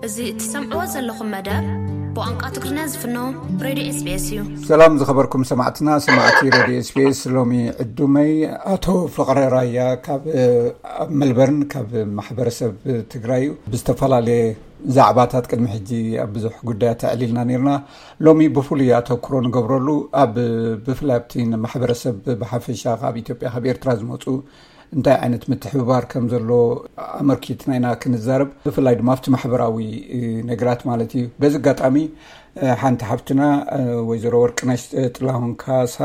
እዚ እትሰምዕዎ ዘለኹም መደብ ብቋንቋ ትግርኛ ዝፍኖ ሬድዮ ኤስቢኤስ እዩ። ሰላም ዝኸበርኩም ሰማዕትና፣ ሰማዕቲ ሬድዮ ኤስቢኤስ። ሎሚ ዕዱመይ ኣቶ ፍቕረ ራያ ካብ ኣብ መልበርን ካብ ማሕበረሰብ ትግራይ እዩ። ብዝተፈላለየ ዛዕባታት ቅድሚ ሕጂ ኣብ ብዙሕ ጉዳያት ኣዕሊልና ነርና። ሎሚ ብፍሉይ ኣተኩሮ ንገብረሉ ኣብ ብፍላይ ኣብቲ ማሕበረሰብ ብሓፈሻ ካብ ኢትዮጵያ ካብ ኤርትራ ዝመፁ እንታይ ዓይነት ምትሕብባር ከም ዘሎ ኣመልኪትና ኢና ክንዛረብ። ብፍላይ ድማ ኣብቲ ማሕበራዊ ነገራት ማለት እዩ። በዚ ኣጋጣሚ ሓንቲ ሓፍትና ወይዘሮ ወርቅነሽ ጥላሁን ካሳ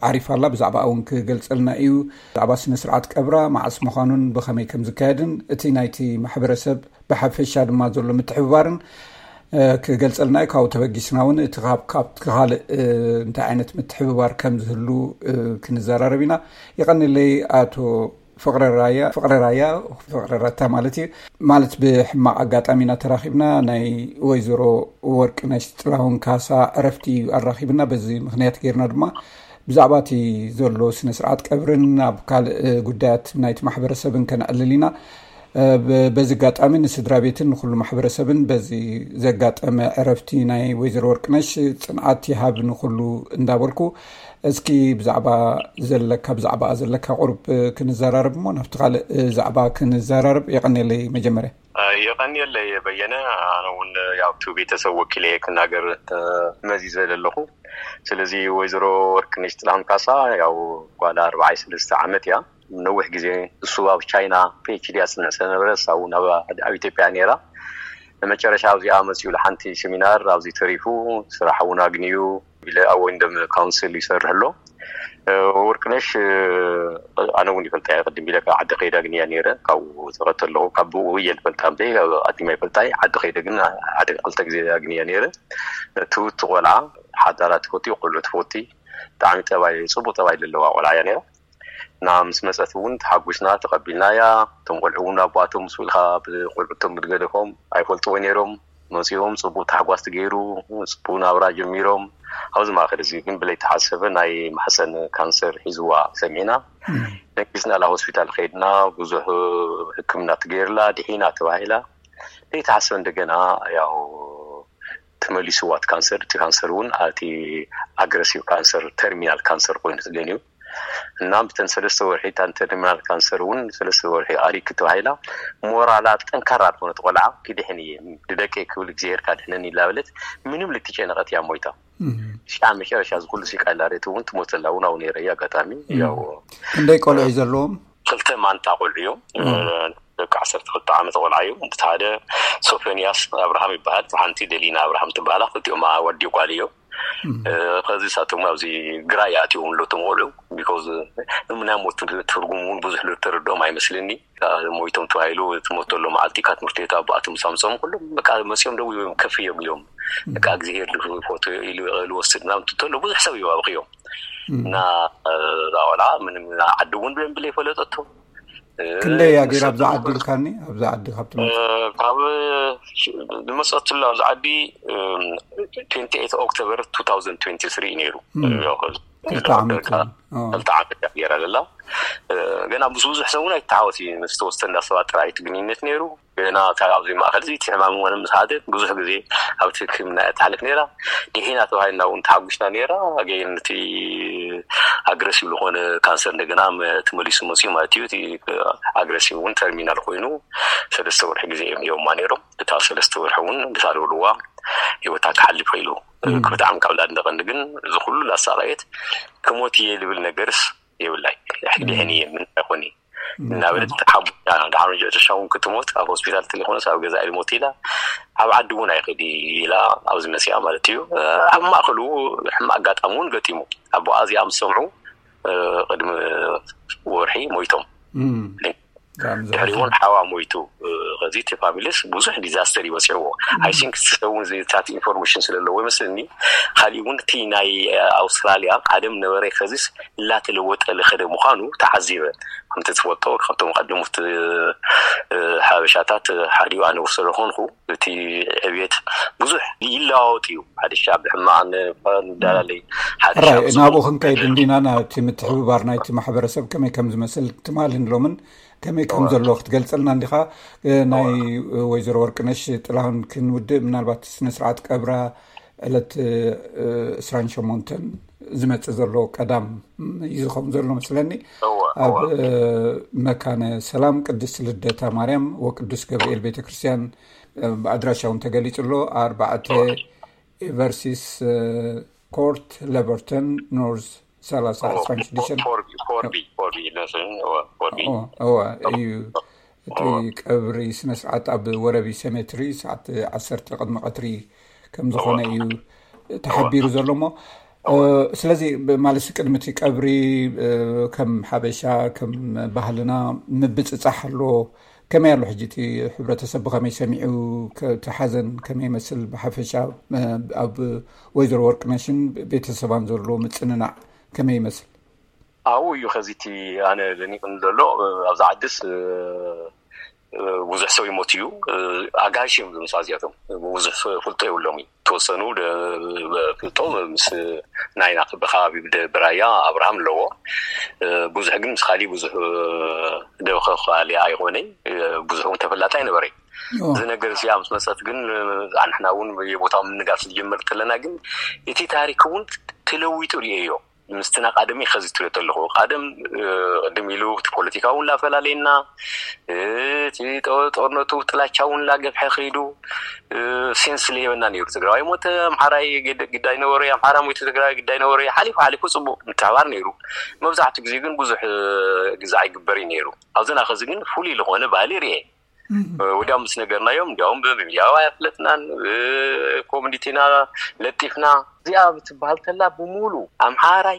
ዓሪፋ ኣላ። ብዛዕባ እውን ክገልፀልና እዩ። ብዛዕባ ስነ ስርዓት ቀብራ መዓስ ምዃኑን ብኸመይ ከም ዝካየድን እቲ ናይቲ ማሕበረሰብ ብሓፈሻ ድማ ዘሎ ምትሕብባርን ክገልፀልና እዩ። ካብኡ ተበጊስና እውን እቲ ካብ ካልእ እንታይ ዓይነት ምትሕብባር ከም ዝህሉ ክንዘራረብ ኢና። ይቐንለይ ኣቶ ፍቕረ ራያ ፍቕረ ራያ ፍቕረ ረታ ማለት እዩ። ማለት ብሕማቕ ኣጋጣሚ ኢና ተራኺብና። ናይ ወይዘሮ ወርቅነሽ ጥላሁን ካሳ ዕረፍቲ እዩ ኣራኺብና። በዚ ምኽንያት ጌርና ድማ ብዛዕባ እቲ ዘሎ ስነ ስርዓት ቀብርን ኣብ ካልእ ጉዳያት ናይቲ ማሕበረሰብን ከነዕልል ኢና። በዚ ኣጋጣሚ ንስድራ ቤትን ንኩሉ ማሕበረሰብን በዚ ዘጋጠመ ዕረፍቲ ናይ ወይዘሮ ወርቅነሽ ጽንዓት ይሃብ ንኩሉ እንዳበልኩ፣ እስኪ ብዛዕባ ዘለካ ብዛዕባ ዘለካ ቁሩብ ክንዘራረብ እሞ ናብቲ ካልእ ዛዕባ ክንዘራረብ። የቐንየለይ መጀመርያ። የቐንየለይ በየነ። ኣነ እውን ያው ቱ ቤተሰብ ወኪለ ክናገር መዚዘ ዘለኹ። ስለዚ ወይዘሮ ወርቅነሽ ጥላሁን ካሳ ያው ጓል ኣርባዓይ ሰለስተ ዓመት እያ። ነዊሕ ግዜ እሱ ኣብ ቻይና ፒኤችዲ ኣጽንዕ ስለነበረ እሳ እውን ኣብ ኢትዮጵያ ነይራ። ንመጨረሻ ኣብዚኣ መጺኡ ሓንቲ ሴሚናር ኣብዚ ተሪፉ ስራሕ እውን ኣግንዩ ኢለ ኣብ ወይንደም ካውንስል ይሰርሕ ኣሎ። ወርቅነሽ ኣነ እውን ይፈልጣ እየ። ቅድም ኢለ ካብ ዓዲ ከይደ ኣግንያ ነይረ። ካብኡ ተኸተለኹ ካብ ብኡ እየ ዝፈልጣ እምበይ ኣዲማ ይፈልጣ እየ። ዓዲ ከይደ ግን ሓደ ክልተ ግዜ ኣግንያ ነይረ። ትውቲ ቆልዓ ሓዳራ ትፈቲ ቆልዑ ትፈቲ ብጣዕሚ ጠባይ ጽቡቅ ጠባይ ዘለዋ ቆልዓ እያ ነይራ። እና ምስ መፀት እውን ተሓጒስና ተቐቢልናያ። እቶም ቆልዑ እውን ኣቦኣቶም ምስ ኢልካ ብቆልዑቶም ብዝገደፎም ኣይፈልጥዎ ነይሮም። መፂኦም ፅቡቅ ታሕጓስ ትገይሩ ፅቡቅ ናብራ ጀሚሮም። ኣብዚ ማእከል እዚ ግን ብለይተሓሰበ ናይ ማሕፀን ካንሰር ሒዝዋ ሰሚዕና። ደንጊፅናላ ሆስፒታል ከይድና ብዙሕ ሕክምና ትገይርላ ድሒና ተባሂላ። ለይተሓሰበ እንደገና ያው ተመሊስዋ እቲ ካንሰር። እቲ ካንሰር እውን እቲ ኣግረሲቭ ካንሰር ተርሚናል ካንሰር ኮይኑ ተገንዩ እና ብተን ሰለስተ ወርሒ እታን ተርሚናል ካንሰር እውን ሰለስተ ወርሒ ኣሪክ ተባሂላ። ሞራላ ጠንካራ ዝኾነት ቆልዓ ክድሕን እየ ንደቀይ ክብል እግዚኣብሔር ካድሕነኒ ኢላ በለት። ምንም ልትጨነቀት እያ ሞይታ። ሽዓ መጨረሻ እዚ ኩሉ ሲቃ ኢላ ሬት እውን ትሞተላ እውን ኣው ነይረ እዩ ኣጋጣሚ ያው ክንደይ ቆልዑ እዩ ዘለዎም? ክልተ ማንታ ቆልዑ እዮም። ደቂ ዓሰርተ ክልተ ዓመት ቆልዓ እዩ። እቲ ሓደ ሶፎንያስ ኣብርሃም ይበሃል። ሓንቲ ደሊና ኣብርሃም ትበሃላ። ክልቲኦም ኣወዲ ጓል እዮም። ከዚ ሳቶም ኣብዚ ግራ ይኣትዎም ኣለቶም ቆልዑ ቢኮዝ ናይ ሞት ትርጉም እውን ብዙሕ ዝተረድኦም ኣይመስልኒ። ሞይቶም ተባሂሉ ትሞት ዘሎ መዓልቲ ካብ ትምህርቲ ቤት ኣቦኣቶም ሳምፆም ኩሎም በቃ መፅኦም ደው እዮም ከፍ እዮም ኢሎም በቃ እግዚኣብሔር ዝፎቶ ኢሉ ዝወስድ ምናምን ትተሎ ብዙሕ ሰብ እዩ ኣብክዮም እና እዛ ቆልዓ ምንም ዓዲ እውን ብደንቢ ዘይፈለጠቶ ክንደይ እያ ገይራ ኣብዛ ዓዲ ኢልካኒ ኣብዛ ዓዲ ካብ ትመ ካብ ዝመፀትሉ ኣብዚ ዓዲ ትንቲ ኤት ኦክቶበር ቱ ታውዘንድ ትንቲ ስሪ ነይሩ። ክልተ ዓመት ክልተ ዓመት እያ ገይራ ዘላ። ገና ምስ ብዙሕ ሰብ እውን ኣይተሓወስ እዩ። ምስ ተወሰነ ሰባት ጥራይ እቲ ግንኙነት ነይሩ። ገና ካብ ኣብዚ ማእከል እዚ እቲ ሕማም እውን ምስ ሓደ ብዙሕ ግዜ ኣብቲ ሕክምና እያ ትሓልፍ ነይራ። ድሒና ተባሂልና እውን ተሓጒስና ነይራ። ኣገይን እቲ ኣግረሲቭ ዝኾነ ካንሰር እንደገና ተመሊሱ መፅኡ ማለት እዩ። እቲ ኣግረሲቭ እውን ተርሚናል ኮይኑ ሰለስተ ወርሒ ግዜ እዮም ሂቦማ ነይሮም። እታ ሰለስተ ወርሒ እውን ብታ ዝበልዋ ህይወታ ክሓልፍ ክኢሉ። ብጣዕሚ ካብ ላድንቐኒ ግን እዚ ኩሉ ላሳቐየት ክሞት እየ ዝብል ነገርስ የብላይ። ሕድሕን እየ ምን ኣይኮን እናበለት ሓቡና ድሓር መጨረሻ እውን ክትሞት ኣብ ሆስፒታል ተለይኮነስ ኣብ ገዛ ኢልሞት ኢላ ኣብ ዓዲ እውን ኣይኸዲ ኢላ ኣብዚ መሲኣ ማለት እዩ። ኣብ ማእከሉ ሕማቅ ኣጋጣሚ እውን ገጢሙ ኣቦኣ እዚኣ ምስ ሰምዑ ቅድሚ ወርሒ ሞይቶም። ድሕሪ እውን ሓዋ ሞይቱ። ከዚ እቲ ፋሚሊስ ብዙሕ ዲዛስተር ይበፅዕዎ። ኣይ ቲንክ ሰውን ዝታት ኢንፎርሜሽን ስለለዎ ይመስልኒ። ካሊእ እውን እቲ ናይ ኣውስትራሊያ ቀደም ነበረ ከዚስ እናተለወጠ ልኸደ ምዃኑ ተዓዚበ። ከምቲ ትፈልጦ ካብቶም ቀደሙት ሓበሻታት ሓዲኡ ኣነ ውር ስለኾንኩ እቲ ዕብየት ብዙሕ ይለዋወጥ እዩ። ሓደሻ ብሕማቕ ንዳላለይ ሓደሻ ናብኡ ክንከይድ እንዲና ናቲ ምትሕብባር ናይቲ ማሕበረሰብ ከመይ ከም ዝመስል ትማልን ሎምን ከመይ ከም ዘሎ ክትገልጸልና እንዲኻ? እ፣ ናይ፣ እ፣ ወይዘሮ ወርቅነሽ ጥላሁን ክንውድእ፣ ምናልባት ስነ ስርዓት ቀብራ ዕለት፣ እ፣ ዕስራን ሸሞንተን ዝመጽእ ዘሎ ቀዳም እዩ ዝኸውን ዘሎ መስለኒ። እወ፣ ኣብ፣ እወ። እ፣ መካነ ሰላም ቅድስት ልደታ ማርያም ወቅዱስ ገብርኤል ቤተ ክርስቲያን፣ እ፣ ብኣድራሻ እውን ተገሊጹ ኣሎ። ኣርባዕተ እወ። ኤቨርሲስ፣ እ፣ ኮርት፣ ለቨርተን ኖርዝ፣ ሰላሳ እወ፣ ዕስራን ሽዱሽተን። ፎርቢ፣ ፎርቢ፣ ፎርቢ ይመስለኒ። እወ፣ ፎርቢ። እወ፣ እወ፣ እዩ። እቲ እወ። ቀብሪ ስነ ስርዓት ኣብ ወረቢ ሴሜትሪ ሰዓት ዓሰርተ ቅድሚ ቀትሪ ከም ዝኾነ እወ። እዩ ተሓቢሩ ዘሎ እሞ፣ እ፣ እወ። ስለዚ ብ-፣ ማለት ቅድሚ እቲ ቀብሪ፣ እ፣ ከም ሓበሻ፣ ከም ባህልና ምብጽጻሕ ኣሎ። ከመይ ኣሎ ሕጂ እቲ ሕብረተሰብ ብኸመይ ሰሚዑ፣ ከ-፣ እቲ ሓዘን ከመይ ይመስል ብሓፈሻ፣ እ፣ ኣብ ወይዘሮ ወርቅነሽን ቤተሰባን ዘሎ ምጽንናዕ ከመይ ይመስል? ኣብኡ እዩ ኸዚ እቲ ኣነ ደኒቕኒ ዘሎ፣ እ፣ ኣብዛ ዓድስ፣ እ፣ እ፣ ብዙሕ ሰብ ይሞት እዩ። እ፣ ኣጋይሽ እዮም ዝመጹ እዚኣቶም። ብዙሕ ፍ-፣ ፍልጦ የብሎም እዩ። ተወሰኑ ደ-፣ ፍልጦ ምስ ናይና ብኸባቢ ብደ-፣ ብራያ ኣብርሃም ኣለዎ። እ፣ ብዙሕ ግን ምስ ካሊእ ብዙሕ፣ እ፣ ደበኸ ካሊ ኣይኾነይ። እ፣ ብዙሕ እውን ተፈላጢ ኣይነበረይ። ኦ። እዚ ነገር እዚኣ ምስ መጸት ግን፣ እ፣ ኣንሕና እውን የቦታ ምንጋር ዝጀመር ከለና ግን እቲ ታሪክ እውን ተለዊጡ ርእየዮ። ምስቲ ናቃደመይ ከዚ ትሪኦ ኣለኹ። ቀደም፣ እ፣ ቅድም ኢሉ እቲ ፖለቲካ እውን ላፈላለየና፣ እ፣ እቲ ጦ-፣ ጦርነቱ ጥላቻ እውን ላገፍሐ ከይዱ፣ እ፣ ሴንስ ለየበና ነይሩ። ትግራዋይ ሞተ፣ ኣምሓራይ ግድ-፣ ግዳይ ነበረ፣ ኣምሓራ ሞይቱ፣ ትግራይ ግዳይ ነበረ። ሓሊፉ ሓሊፉ ጽቡቕ ምትሕባር ነይሩ። መብዛሕትኡ ግዜ ግን ብዙሕ፣ እ፣ ግዛዕ ይግበር እዩ ነይሩ። ኣብዚና ከዚ ግን ፍሉይ ዝኾነ ባህሊ ርኤ። እም። ወዲያው ምስ ነገርናዮም፣ እንዲያውም ብሚድያ ኣፍለጥናን፣ እ፣ ኮሚኒቲና ለጢፍና። እዚኣ ብትበሃል ተላ ብሙሉ ኣምሓራይ፣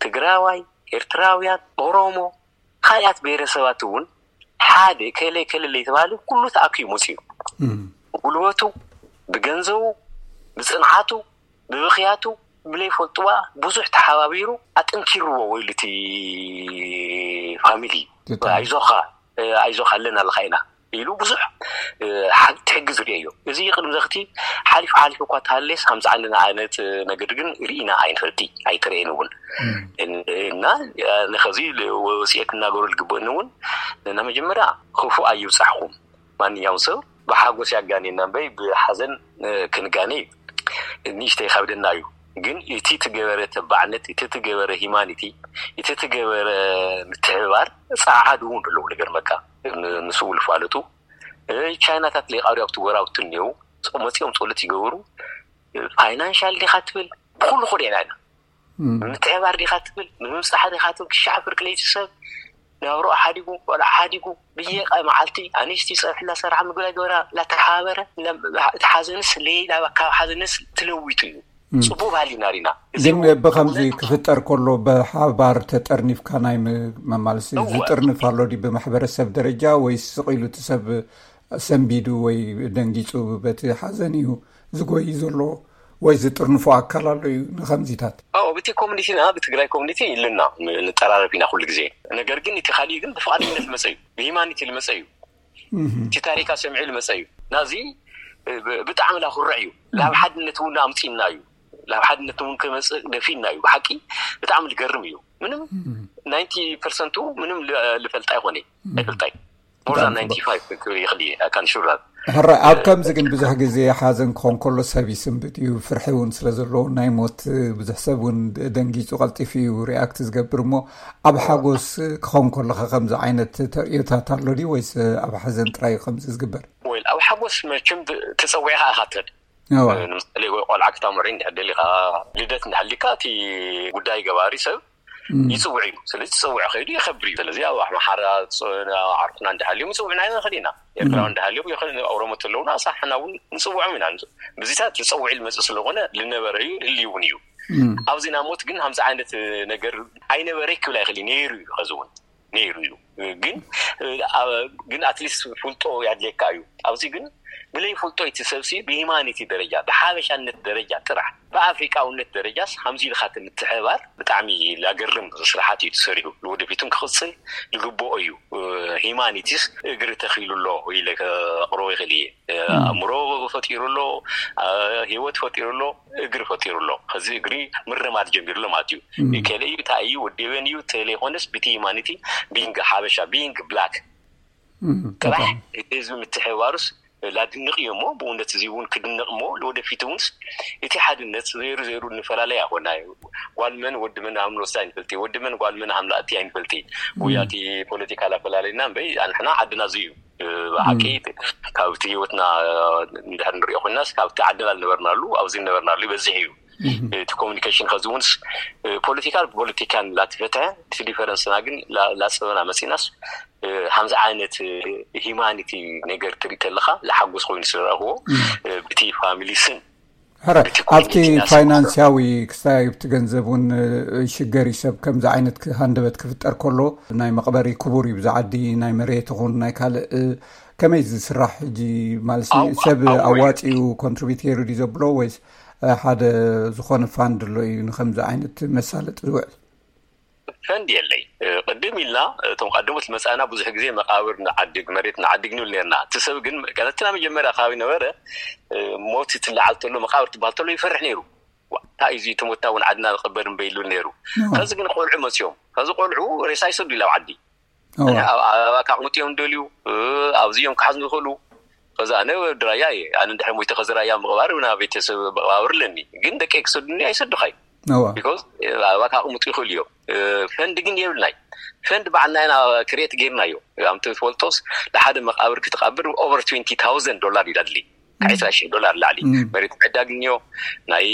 ትግራዋይ፣ ኤርትራውያን፣ ኦሮሞ፣ ካልኣት ብሄረሰባት እውን ሓደ ከለ ከለለ የተባለ ኩሉ ተኣኪቡ መፅዩ። እም። ብጉልበቱ፣ ብገንዘቡ፣ ብፅንዓቱ፣ ብብኽያቱ፣ ብለይፈልጥዋ ብዙሕ ተሓባቢሩ ኣጠንኪርዎ ወይሉ እቲ ፋሚሊ። ብጣዕሚ። ኣይዞኻ፣ እ፣ ኣይዞኻ ኣለና ኣለኻ ኢና ኢሉ ብዙሕ፣ እ፣ ሓ-፣ ትሕግዝ ርእየዮ። እዚ ቅድሚ ዘኽቲ ሓሊፉ ሓሊፉ እኳ ተሃለየስ፣ ሃምዚ ዓንድና ዓይነት፣ እ፣ ነገር ግን ርኢና ኣይንፈልጥ፣ ኣይተረእየን እውን። እም። እን-፣ እና፣ እ፣ ንኸዚ ል-፣ ወ-፣ ወፅኤ ክናገሩ ዝግበእኒ እውን፣ ን መጀመርያ ክፉእ ኣይብፃሕኹም። ማንኛውም ሰብ ብሓጎስ ያጋኔና እምበይ ብሓዘን፣ እ፣ ክንጋኔ እዩ። ንእሽተይ ይኸብደና እዩ። ግን እቲ ትገበረ ተባዕነት፣ እቲ ትገበረ ሂማኒቲ፣ እቲ ትገበረ ምትሕብባር ጸዓዱ እውን ኣለዉ። ንገርመካ፣ ን-፣ ንስኡ ልፋለጡ፣ እ፣ ቻይናታት ሌቃሪ ኣብቲ ጎራብቲ እኒአው፣ ጾ-፣ መጺኦም ጸሎት ይገብሩ። እ፣ ፋይናንሻል ዲኻ ትብል፣ ብኹሉ ኹድ ኢና ኢና። እም። ምትሕባር ዲኻ ትብል፣ ንምብጻሕ ዲኻ ትብል፣ ክሻዕ ፍርቂ ለይቲ ሰብ ናብሮ ሓዲጉ፣ ቆልዓ ሓዲጉ፣ ብየቃ መዓልቲ ኣንስቲ ጸብሒ እናሰርሓ፣ ምግቢ እናገበራ፣ እናተሓባበረ፣ ለ-፣ እቲ ሓዘንስ ለይላ ካብ ሓዘንስ ትለዊጡ እዩ። እም። ጽቡቕ ባህሊ ኢና ርኢና። እዚ ግን እውን ብኸምዚ ክፍጠር ከሎ ብሓባር ተጠርኒፍካ ናይ ም-፣ መማልሲ እወ። ዝጥርንፍ ኣሎ ድዩ ብማሕበረሰብ ደረጃ ወይስ ስቕ ኢሉ እቲ ሰብ ሰንቢዱ ወይ ደንጊጹ በቲ ሓዘን እዩ ዝጎይ ዘሎ ወይ ዝጥርንፎ ኣካል ኣሎ እዩ ንኸምዚታት? ኣዎ፣ ብቲ ኮሚኒቲና፣ ብትግራይ ኮሚኒቲ ኢልና ን-፣ ንጠራረፍ ኢና ኩሉ ግዜ። ነገር ግን እቲ ካሊእ ግን ብፍቓደኝነት ዝመጸ እዩ፣ ብሂማኒቲ ዝመጸ እዩ፣ እህ። እቲ ታሪካ ሰሚዑ ዝመጸ እዩ። ናዚ ብ-፣ ብጣዕሚ ላኩርዕ እዩ። ላብ ሓድነት እውን ኣምጺእና እዩ። ላብ ሓድነት እውን ክመጽእ ደፊና እዩ። ብሓቂ ብጣዕሚ ዝገርም እዩ። ምንም እህ። ናይንቲ ፐርሰንቱ ምንም ል-፣ ልፈልጣ ይኾነ፣ እህ። ኣይፈልጣይ። ሞር ዛን ብጣዕሚ ናይንቲ ፋይቭ ክብል ይኽእል እየ፣ I can sure that። ሕራይ፣ ኣብ ከምዚ ግን ብዙሕ ግዜ ሓዘን ክኾን ከሎ ሰብ ይስንብድ እዩ፣ ፍርሒ እውን ስለ ዘለዎ ናይ ሞት ብዙሕ ሰብ እውን ደንጊጹ ቀልጢፉ እዩ ሪኣክት ዝገብር። እሞ ኣብ ሓጎስ ክኾን ከሎ ኸ ከምዚ ዓይነት ተርእዮታት ኣሎ ድዩ ወይስ ኣብ ሓዘን ጥራይ እዩ ከምዚ ዝግበር? ወይል፣ ኣብ ሓጎስ መቸም ብ-፣ ተጸዊዕኻ ኢኻ ትኸድ። እዋ። ንምሳሌ ወይ ቆልዓ ክታምሪ እንድሕር ደሊኻ፣ ልደት እንድሕር ሊካ እቲ ጉዳይ ገባሪ ሰብ እም። ይጽውዕ እዩ። ስለዚ ዝጽውዕ ከይዱ የኸብር እዩ። ስለዚ ኣብ ኣምሓራ፣ ጾ-፣ ዓርኩና እንድሃልዮም ይጽውዕና ንኽእል ኢና። ኤርትራዊ እም። እንድሃልዮም ይኽእል፣ ኦሮሞ ተለውና ኣሳሕና እውን ንጽውዖም ኢና። ብዚታት ዝጸውዕ ልመጽእ ስለኾነ ልነበረ እዩ፣ ልህሊ እውን እዩ። እም። ኣብዚ ናሞት ግን ሃምዚ ዓይነት ነገር ኣይነበረ ክብል ኣይኽእል እዩ። ነይሩ እዩ፣ ኸዚ እውን ነይሩ እዩ። ግን፣ እ፣ ኣ-፣ ግን ኣትሊስት ፍልጦ ያድልየካ እዩ። ኣብዚ ግን ብለይ ፍልጦ እቲ ሰብሲ ብሂማኒቲ ደረጃ፣ ብሓበሻነት ደረጃ ጥራሕ፣ ብኣፍሪቃውነት ደረጃስ ሃምዚ ኢልካ ምትሕባር ብጣዕሚ ላገርም ስራሓት እዩ ተሰሪሑ። ንወደፊቱን ክቕጽል ዝግብኦ እዩ። እ፣ ሂማኒቲስ እግሪ ተኺሉ ኣሎ ኢለ ከቕርቦ ይኽእል እየ። እ፣ እም። ኣእምሮ ፈጢሩ ኣሎ፣ እ፣ ህይወት ፈጢሩ ኣሎ፣ እግሪ ፈጢሩ ኣሎ። ሕዚ እግሪ ምርማድ ጀሚሩ ኣሎ ማለት እዩ። እም። ከለ እዩ፣ እንታይ እዩ፣ ወዲ ዌን እዩ፣ ተለይኮነስ ብቲ ሂማኒቲ ቢንግ ሓበሻ፣ ቢንግ ብላክ ጥራሕ እቲ ህዝቢ ምትሕባሩስ ላድንቕ እዮ እሞ፣ ብእውነት እዚ እውን ክድነቕ እሞ፣ ለወደፊት እውን እቲ ሓድነት ዘይሩ ዘይሩ እንፈላለይ ኣይኮና እዩ። ጓል መን ወዲ መን ሃምኖስቲ ኣይንፈልጢ፣ ወዲ መን ጓል መን ሃምላእቲ ኣይንፈልጢ። ጉያ እቲ ፖለቲካ ላፈላለይና እምበይ፣ ኣንሕና ዓድና እዚ እዩ። ብሓቂ ካብቲ ህይወትና እንድሕር ንሪኦ ኮይናስ፣ ካብቲ ዓድና ዝነበርናሉ ኣብዚ ዝነበርናሉ ይበዝሕ እዩ። እቲ ኮሚኒኬሽን ከዚ እውን ፖለቲካ ፖለቲካን ላተፈትሐ፣ እቲ ዲፈረንስና ግን ላፀበና መፂናስ፣ ሓምዚ ዓይነት ሂማኒቲ ነገር ትርኢ ተለካ፣ ዝሓጎስ ኮይኑ ስለረእክዎ፣ ብቲ ፋሚሊ ስም፣ ሕረ ኣብቲ ፋይናንስያዊ ክሳይ ኣብቲ ገንዘብ እውን ሽገር እዩ። ሰብ ከምዚ ዓይነት ሃንደበት ክፍጠር ከሎ፣ ናይ መቕበሪ ክቡር እዩ። ብዛ ዓዲ ናይ መሬት ይኹን ናይ ካልእ ከመይ ዝስራሕ ሕጂ ማለት ሰብ ኣዋፂኡ ኮንትሪቢዩት ገይሩ ድዩ ዘብሎ፣ ወይስ ሓደ ዝኾነ ፋንድ ኣሎ እዩ ንከምዚ ዓይነት መሳለጢ ዝውዕል? ፈንድ የለይ። ቅድም ኢልና እቶም ቀደሞት መፃና ብዙሕ ግዜ መቃብር ንዓድግ፣ መሬት ንዓድግ ንብል ነርና። እቲ ሰብ ግን ቀነትና መጀመርያ ከባቢ ነበረ፣ ሞት ትለዓል ተሎ፣ መቃብር ትበሃል ተሎ ይፈርሕ ነይሩ። እንታይ እዚ ተሞታ እውን ዓድና ንቀበር እምበይ ይብል ነይሩ። ከዚ ግን ቆልዑ መፅዮም፣ ከዚ ቆልዑ ሬሳ ይሰዱ ኢላው ዓዲ ኣባካ ቅሙጥ እዮም ደልዩ፣ ኣብዚ እዮም ክሓዝ ንኽእሉ። ከዚ ኣነ ድራያ እየ። ኣነ እንድሕር ሞይተ ከዚ ራያ ምቕባር ናብ ቤተሰብ መቐባብር ኣለኒ፣ ግን ደቂ ክሰዱኒ ኣይሰዱኻይ። ቢኮዝ ኣባካ ቅሙጥ ይኽእሉ እዮም። ፈንድ ግን የብልናይ። ፈንድ ባዕልና ኢና ክሬት ገይርናዮ። ኣምቲ ትፈልጦስ፣ ንሓደ መቃብር ክትቐብር ኦቨር ትዌንቲ ታውዘንድ ዶላር እዩ ኣድሊ። ካብ ዕስራ ሺሕ ዶላር ላዕሊ። መሬት ምዕዳግ እኒዮ፣ ናይ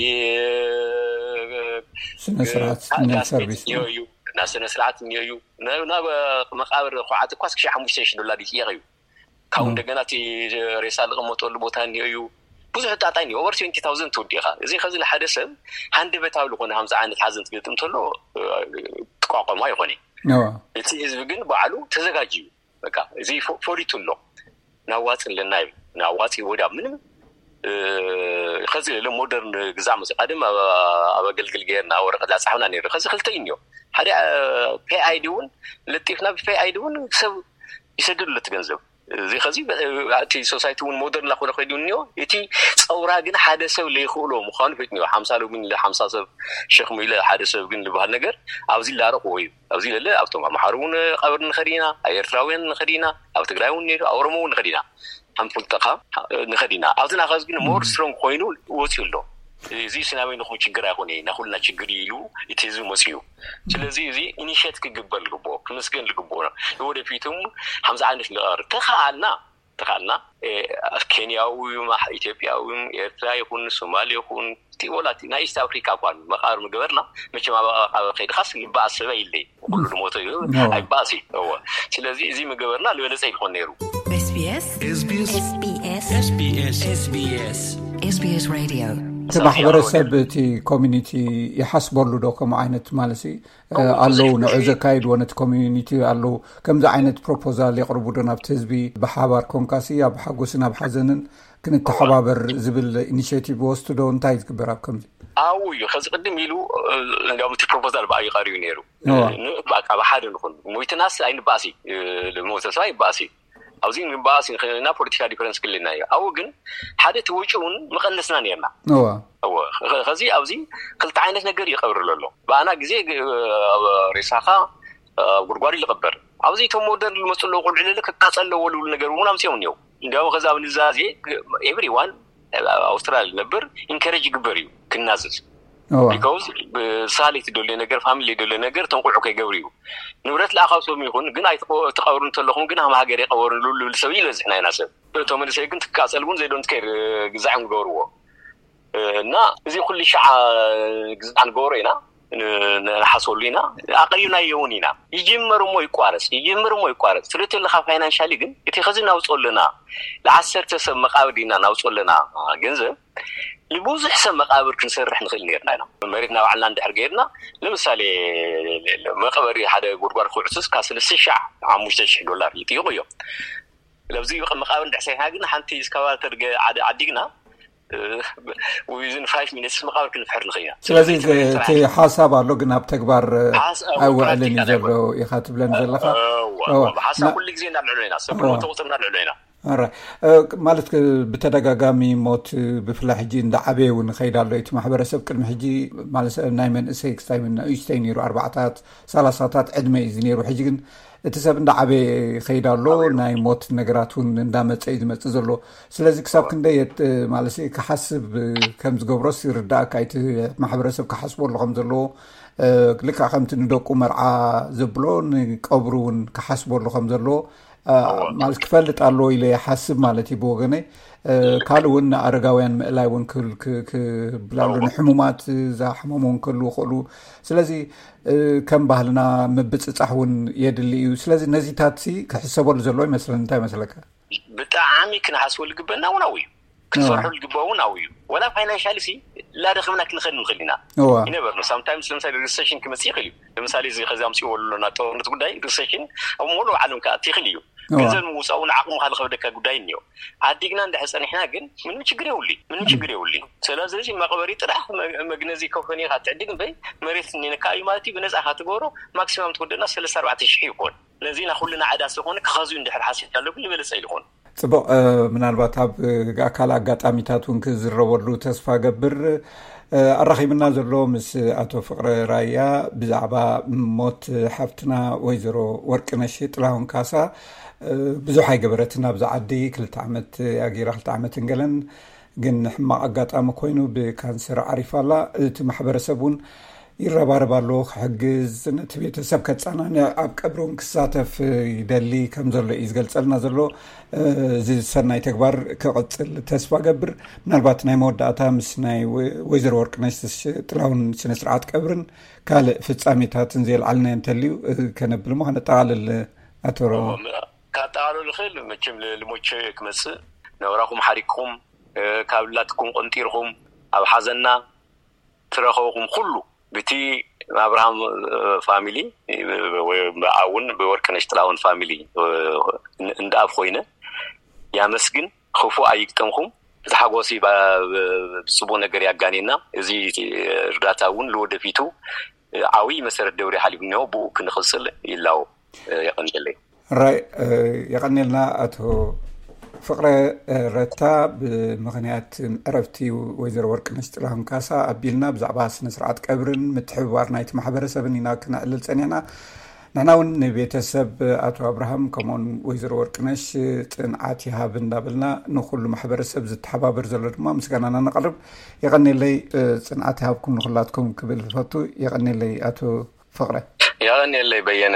ስነስርዓት ናይ ሰርቪስ እኒዮ እዩ፣ ናይ ስነስርዓት እኒዮ እዩ። ናብ መቃብር ኳዓት እኳ እስኪ ሓሙሽተ ሺሕ ዶላር ይጥየቕ እዩ። ካብኡ እንደገና እቲ ሬሳ ዝቕመጠሉ ቦታ እኒኦ እዩ። ብዙሕ ጣጣ እኒኦ። ኦቨር ትዌንቲ ታውዘንድ ትውዲ ኢኻ። እዚ ከዚ ንሓደ ሰብ ሃንደበታዊ ዝኾነ ከምዚ ዓይነት ሓዘን ትገጥም ተሎ ትቋቋሞ ኣይኾነ። እቲ ህዝቢ ግን ባዕሉ ተዘጋጅ እዩ። በቃ እዚ ፈሊጡ ኣሎ። ናዋፂ ኣለና እዩ። ናዋፂ ወዳ ምንም ከዚ ለ ሞደርን ግዛዕ መፂ ቀደም ኣብ ኣገልግል ገይርና ወረቀት ላፃሕና ነይሩ። ከዚ ክልተ እዩ እኒኦ። ሓደ ፔ ኣይዲ እውን ለጢፍና ብፔ ኣይዲ እውን ሰብ ይሰደሉ እቲ ገንዘብ። እዚ ከዚ እቲ ሶሳይቲ እውን ሞደርን ላኮነ ከይዱ እኒኦ። እቲ ፀውራ ግን ሓደ ሰብ ለይኽእሎ ምዃኑ ፈይጥኒኦ። ሓምሳ ሎሚ ሓምሳ ሰብ ሸክሙ ኢለ ሓደ ሰብ ግን ዝበሃል ነገር ኣብዚ ላረኽዎ እዩ። ኣብዚ ለለ ኣብቶም ኣምሓሩ እውን ቀብር ንኸድ ኢና፣ ኣብ ኤርትራውያን ንኸድ ኢና፣ ኣብ ትግራይ እውን ነይሩ፣ ኣብ ኦሮሞ እውን ንኸድ ኢና። ሓምፍልጠኻ ንኸድ ኢና። ኣብዚ ናኸዚ ግን ሞር ስትሮንግ ኮይኑ ወፂኡ ኣሎ። እዚ ስናበይ ንኹም ችግር ኣይኮነ፣ ናኩልና ችግር እዩ ኢሉ እቲ ህዝቢ መፅኡ። ስለዚ እዚ ኢኒሽት ክግበር ልግብኦ፣ ክምስገን ልግብኦ። ንወደፊቱም ሓምዚ ዓይነት ንቐር ተኸኣልና ተኻልና ኬንያዊ ኢትዮጵያዊ ኤርትራ ይኹን ሶማሊ ይኹን ወላ ናይ ኢስት ኣፍሪካ እኳ መቃብር ምግበርና መቸም ኣብ ከይድኻስ ልበኣስ ሰበ ኢለይ ኩሉ ዝሞተ ኣይበኣስ እዩ። ስለዚ እዚ ምግበርና ዝበለፀ ይኾን ነይሩ። SBS SBS እቲ ማሕበረሰብ እቲ ኮሚኒቲ ይሓስበሉ ዶ ከምኡ ዓይነት ማለት ኣለዉ ንዑ ዘካይድዎ ነቲ ኮሚኒቲ ኣለዉ ከምዚ ዓይነት ፕሮፖዛል የቕርቡ ዶ ናብቲ ህዝቢ ብሓባር ኮንካሲ ኣብ ሓጎስን ኣብ ሓዘንን ክንተሓባበር ዝብል ኢኒሽቲቭ ወስዱ ዶ እንታይ ዝግበር ኣብ ከምዚ ኣው እዩ ከዚ ቅድም ኢሉ እንዲያውም እቲ ፕሮፖዛል ብኣዩ ቀሪቡ ነይሩ። ብሓደ ንኹን ሞይትናስ ኣይንባእሲ ሞተ ሰብ ኣይባእሲ ኣብዚ ንባእሲ ንክልና ፖለቲካ ዲፈረንስ ክልልና እዩ። ኣው ግን ሓደ እቲ ወጪ እውን መቐነስና ነርና። ከዚ ኣብዚ ክልተ ዓይነት ነገር ይቀብር ዘሎ ብኣና ግዜ ሬሳኻ ጉድጓድ ይልቀበር ኣብዚ እቶም ሞደርን ዝመፁ ኣለዉ ቆልዑ ለለ ክቃፀል ኣለዎ ልብሉ ነገር እውን ኣምፅኦም እኒው እንዲያውም ከዚ ኣብ ንዛዜ ኤቭሪዋን ኣውስትራልያ ነብር ኢንከረጅ ይግበር እዩ ክናዘዝ ቢካውዝ ብሳሌ ትደልዮ ነገር ፋሚሊ ደልዮ ነገር ተንቁዑ ከይገብር እዩ። ንብረት ለኣኻብ ሰብም ይኹን ግን ኣይትቀብሩ እንተለኹም ግን ሃም ሃገር የቀበሩ ልብል ሰብ ይበዝሕ ናይና ሰብ እቶም መንእሰይ ግን ትቃፀል እውን ዘይዶንት ከይር ግዛዕም ዝገብርዎ እና እዚ ኩሉ ሸዓ ግዛዕ ንገብሮ ኢና ንሓሰሉ ኢና ኣቅሪብናዮ እውን ኢና። ይጅመር እሞ ይቋረፅ ይጅመር እሞ ይቋረፅ ትልት ኣለካ ፋይናንሻሊ ግን እቲ ከዚ ናውፅኦ ኣለና ለዓሰርተ ሰብ መቃብር ዲና ናውፅኦ ኣለና ገንዘብ ንብዙሕ ሰብ መቃብር ክንሰርሕ ንኽእል ነርና ኢና። መሬትና ባዕልና እንድሕር ገይርና ንምሳሌ መቀበሪ ሓደ ጉድጓድ ክውዕሱስ ካብ ሰለስተ ሺሕ ሓሙሽተ ሺሕ ዶላር ይጥይቁ እዮም። ለብዚ መቃብር እንድሕር ሰሪሕና ግን ሓንቲ እስካቫተር ዓዲግና within five minutes መቃብር ክንፍሕር ንኽእል ኢና። ስለዚ እቲ ሓሳብ ኣሎ ግን ኣብ ተግባር ኣይውዕልን እዩ ዘሎ ኢኻ ትብለኒ ዘለኻ። ሓሳብ ኩሉ ግዜ እናልዕሎ ኢና ሰብ ተቁፅር እናልዕሎ ኢና ማለት ብተደጋጋሚ ሞት ብፍላይ ሕጂ እንዳዓበየ እውን ይኸይድ ኣሎ። እቲ ማሕበረሰብ ቅድሚ ሕጂ ማለት ናይ መንእሰይ ክስታይ ንእሽተይ ነይሩ፣ ኣርባዕታት ሰላሳታት ዕድመ እዩ ነይሩ። ሕጂ ግን እቲ ሰብ እንዳዓበየ ይኸይድ ኣሎ። ናይ ሞት ነገራት እውን እንዳመፀ እዩ ዝመፅእ ዘሎ። ስለዚ ክሳብ ክንደይ ማለት ክሓስብ ከም ዝገብሮስ ይርዳእካ። እቲ ማሕበረሰብ ክሓስበሉ ከም ዘለዎ፣ ልክዕ ከምቲ ንደቁ መርዓ ዘብሎ ንቀብሩ እውን ክሓስበሉ ከም ዘለዎ ማለት ክፈልጥ ኣለዎ ኢለ ይሓስብ ማለት እዩ ብወገነይ። ካልእ እውን ንኣረጋውያን ምእላይ እውን ክብላሉ፣ ንሕሙማት፣ ዛሕመሙ እውን ክህልዉ ይኽእሉ። ስለዚ ከም ባህልና ምብፅፃሕ እውን የድሊ እዩ። ስለዚ ነዚታት ክሕሰበሉ ዘለዎ ይመስለኒ። እንታይ ይመስለካ? ብጣዕሚ ክንሓስበሉ ዝግበና እውን ኣብኡ እዩ። ክትፈርሑ ዝግበኦ እውን ኣብኡ እዩ። ወላ ፋይናንሻል ሲ ላደኸምና ክንኸድ ንኽእል ኢና። ይነበር ነው ሳምታይምስ ለምሳሌ ሪሴሽን ክመፅእ ይኽእል እዩ። ለምሳሌ እዚ ከዚ ኣምፅዎ ኣለና ጦርነት ጉዳይ ሪሴሽን ኣብ ሙሉእ ዓለም ክኣቲ ይኽእል እዩ። ገንዘብ ንምውፃእ እውን ዓቕምካ ዝኸብደካ ጉዳይ እኒኦ። ዓዲግና እንድሕር ፀኒሕና ግን ምንም ችግር የብሉ ምንም ችግር የብሉ። ስለዚ መቕበሪ ጥራሕ መግነዚ ከፈኒ ኢኻ ትዕድግ እምበይ መሬት እኒነካ እዩ ማለት እዩ። ብነፃ ኢኻ ትገብሮ። ማክሲማም ትወደና ሰለስተ ኣርባዕተ ሽሕ ይኮን። ነዚ ና ኩልና ዕዳ ስለኾነ ክኸዙ እንድሕር ሓሲብ ኣለኩ ዝበለፀ ይልኾን። ፅቡቕ። ምናልባት ኣብ ካልእ ኣጋጣሚታት እውን ክዝረበሉ ተስፋ ገብር። ኣራኺብና ዘሎ ምስ ኣቶ ፍቕረ ራያ ብዛዕባ ሞት ሓፍትና ወይዘሮ ወርቅነሽ ጥላሁን ካሳ ብዙሕ ኣይገበረትን ኣብዚ ዓዲ። ክልተ ዓመት ኣጊራ፣ ክልተ ዓመት እንገለን ግን ሕማቕ ኣጋጣሚ ኮይኑ ብካንሰር ዓሪፋ ኣላ። እቲ ማሕበረሰብ እውን ይረባረብ ኣሎ ክሕግዝ፣ ነቲ ቤተሰብ ከፃናንዕ፣ ኣብ ቀብሪ እውን ክሳተፍ ይደሊ ከም ዘሎ እዩ ዝገልፀልና ዘሎ። እዚ ሰናይ ተግባር ክቕፅል ተስፋ ገብር። ምናልባት ናይ መወዳእታ ምስ ናይ ወይዘሮ ወርቅነሽ ጥላሁን ስነ ስርዓት ቀብርን ካልእ ፍፃሜታትን ዘየልዓልናዮ እንተልዩ ከነብል እሞ ከነጠቓልል። ኣቶ ሮ ካጠቓልሉ ክእል መቸም ልሞቸ ክመፅእ ነብራኹም ሓሪቅኩም ካብ ላትኩም ቆንጢርኩም ኣብ ሓዘና ትረኸብኹም ኩሉ ብቲ ኣብርሃም ፋሚሊ ብኣውን ብወርቅነሽ ጥላውን ፋሚሊ እንድኣብ ኮይነ ያመስግን። ክፉእ ኣይግጠምኹም። እቲ ሓጎሲ ብፅቡቅ ነገር ያጋኔና። እዚ እርዳታ እውን ለወደፊቱ ዓብይ መሰረት ደብሪ ሓሊፉ እኒሆ ብኡ ክንኽፅል ይላው። የቀንየለይ። ራይ የቐኔልና ኣቶ ፍቕረ ረታ። ብምኽንያት ዕረፍቲ ወይዘሮ ወርቅነሽ ጥላሁን ካሳ ኣቢልና ብዛዕባ ስነ ስርዓት ቀብርን ምትሕብባር ናይቲ ማሕበረሰብን ኢና ክነዕልል ፀኒሕና። ንሕና እውን ንቤተሰብ ኣቶ ኣብርሃም ከምኡውን ወይዘሮ ወርቅነሽ ፅንዓት ይሃብ እንዳበልና ንኩሉ ማሕበረሰብ ዝተሓባበር ዘሎ ድማ ምስጋናና ነቕርብ። የቐኔለይ። ፅንዓት ይሃብኩም ንኩላትኩም ክብል ዝፈቱ። የቐኔለይ ኣቶ ፍቕረ። የቐኔለይ በየነ፣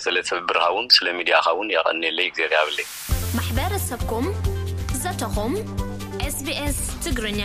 ስለ ትብብርካ እውን ስለ ሚድያካ እውን የቐኔለይ። እግዚኣብሔር ይሃበለይ። ማሕበረሰብኩም ዘተኹም ኤስቢኤስ ትግርኛ።